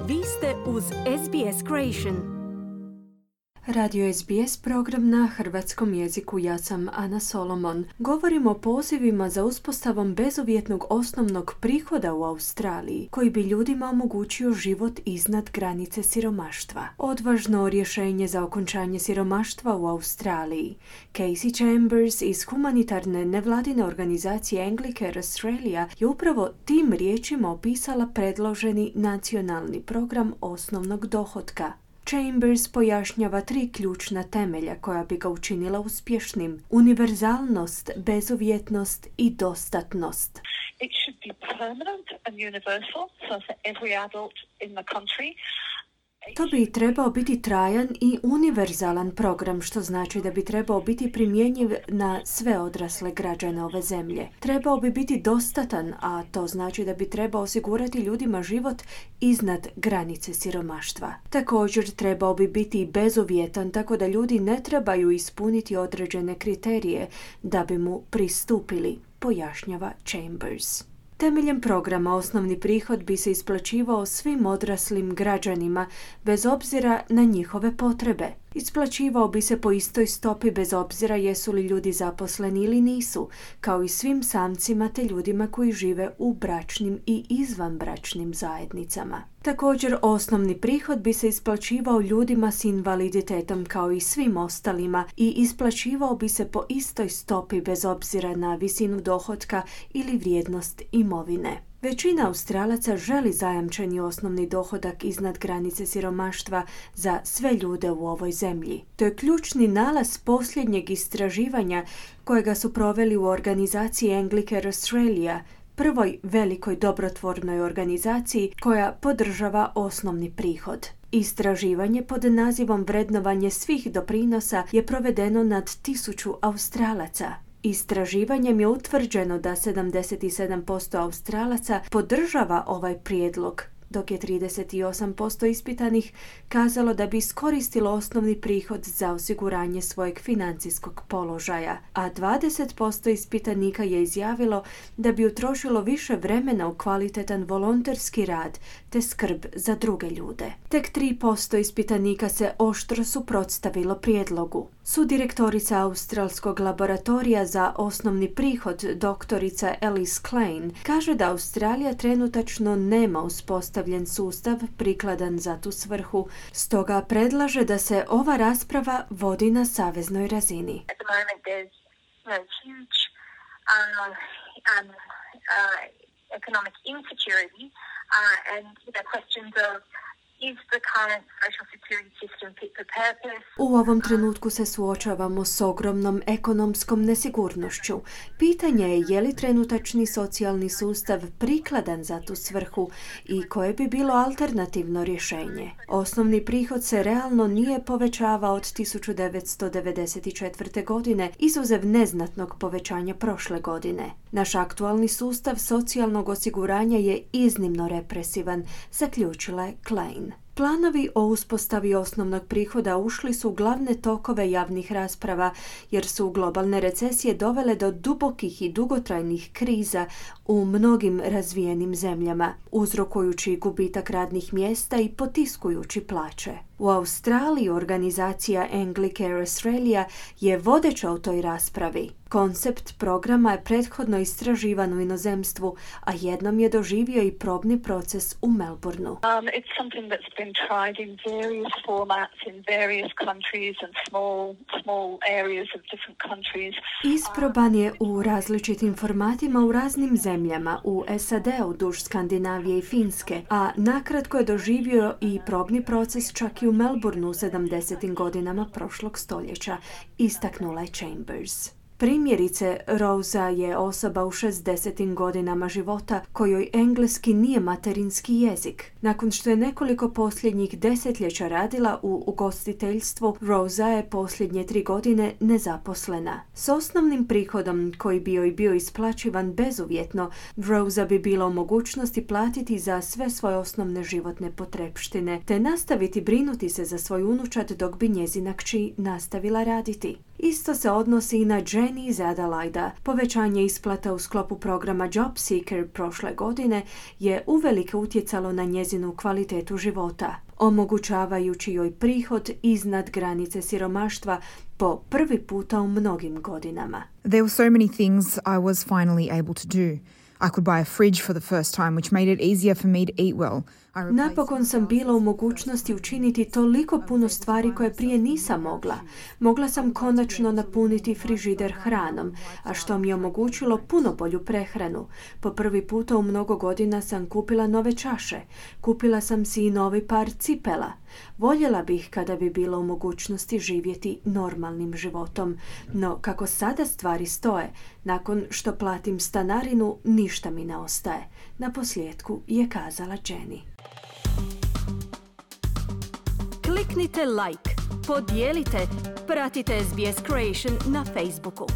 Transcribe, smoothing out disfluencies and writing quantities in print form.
Vi ste uz SBS Creation. Radio SBS program na hrvatskom jeziku. Ja sam Ana Solomon. Govorimo o pozivima za uspostavom bezuvjetnog osnovnog prihoda u Australiji, koji bi ljudima omogućio život iznad granice siromaštva. Odvažno rješenje za okončanje siromaštva u Australiji. Casey Chambers iz humanitarne nevladine organizacije Anglicare Australia je upravo tim riječima opisala predloženi nacionalni program osnovnog dohotka. Chambers pojašnjava 3 ključna temelja koja bi ga učinila uspješnim: univerzalnost, bezuvjetnost i dostatnost. It should be permanent and universal, so for every adult in the country. To bi trebao biti trajan i univerzalan program, što znači da bi trebao biti primjenjiv na sve odrasle građane ove zemlje. Trebao bi biti dostatan, a to znači da bi trebao osigurati ljudima život iznad granice siromaštva. Također trebao bi biti bezuvjetan, tako da ljudi ne trebaju ispuniti određene kriterije da bi mu pristupili, pojašnjava Chambers. Temeljem programa osnovni prihod bi se isplaćivao svim odraslim građanima bez obzira na njihove potrebe. Isplaćivao bi se po istoj stopi bez obzira jesu li ljudi zaposleni ili nisu, kao i svim samcima te ljudima koji žive u bračnim i izvanbračnim zajednicama. Također, osnovni prihod bi se isplaćivao ljudima s invaliditetom kao i svim ostalima i isplaćivao bi se po istoj stopi bez obzira na visinu dohotka ili vrijednost imovine. Većina Australaca želi zajamčeni osnovni dohodak iznad granice siromaštva za sve ljude u ovoj zemlji. To je ključni nalaz posljednjeg istraživanja kojega su proveli u organizaciji Anglicare Australia, prvoj velikoj dobrotvornoj organizaciji koja podržava osnovni prihod. Istraživanje pod nazivom Vrednovanje svih doprinosa je provedeno nad 1000 Australaca. Istraživanjem je utvrđeno da 77% Australaca podržava ovaj prijedlog, dok je 38% ispitanih kazalo da bi iskoristilo osnovni prihod za osiguranje svojeg financijskog položaja, a 20% ispitanika je izjavilo da bi utrošilo više vremena u kvalitetan volonterski rad te skrb za druge ljude. Tek 3% ispitanika se oštro suprotstavilo prijedlogu. Sudirektorica Australskog laboratorija za osnovni prihod, doktorica Alice Klein, kaže da Australija trenutačno nema uspostavljen sustav prikladan za tu svrhu, stoga predlaže da se ova rasprava vodi na saveznoj razini. At the moment there's huge economic insecurity and questions of is the current social security system fit for purpose? U ovom trenutku se suočavamo s ogromnom ekonomskom nesigurnošću. Pitanje je li trenutačni socijalni sustav prikladan za tu svrhu i koje bi bilo alternativno rješenje. Osnovni prihod se realno nije povećavao od 1994. godine, izuzev neznatnog povećanja prošle godine. Naš aktualni sustav socijalnog osiguranja je iznimno represivan, zaključila je Klein. Planovi o uspostavi osnovnog prihoda ušli su u glavne tokove javnih rasprava jer su globalne recesije dovele do dubokih i dugotrajnih kriza u mnogim razvijenim zemljama, uzrokujući gubitak radnih mjesta i potiskujući plaće. U Australiji organizacija Anglicare Australia je vodeća u toj raspravi. Koncept programa je prethodno istraživan u inozemstvu, a jednom je doživio i probni proces u Melbourneu. It's something that's been tried in various formats in various countries and small areas of different countries. Isproban je u različitim formatima u raznim zemljama, u SAD-u, duž Skandinavije i Finske, a nakratko je doživio i probni proces čak i u Melbourneu u 70. godinama prošlog stoljeća, istaknula je Chambers. Primjerice, Rosa je osoba u 60. godinama života kojoj engleski nije materinski jezik. Nakon što je nekoliko posljednjih desetljeća radila u ugostiteljstvu, Rosa je posljednje 3 godine nezaposlena. S osnovnim prihodom koji bi joj bio isplaćivan bezuvjetno, Rosa bi bila u mogućnosti platiti za sve svoje osnovne životne potrepštine, te nastaviti brinuti se za svoj unučad dok bi njezina kći nastavila raditi. Isto se odnosi i na Jenny iz Adelaida. Povećanje isplata u sklopu programa Job Seeker prošle godine je uvelike utjecalo na njezinu kvalitetu života, omogućavajući joj prihod iznad granice siromaštva po prvi puta u mnogim godinama. There were so many things I was finally able to do. I could buy a fridge for the first time, which made it easier for me to eat well. Napokon sam bila u mogućnosti učiniti toliko puno stvari koje prije nisam mogla. Mogla sam konačno napuniti frižider hranom, a što mi je omogućilo puno bolju prehranu. Po prvi puta u mnogo godina sam kupila nove čaše. Kupila sam si i novi par cipela. Voljela bih kada bi bila u mogućnosti živjeti normalnim životom, no kako sada stvari stoje, nakon što platim stanarinu, ništa mi ne ostaje. Naposljetku je kazala Jenny. Kliknite like, podijelite, pratite SBS Creation na Facebooku.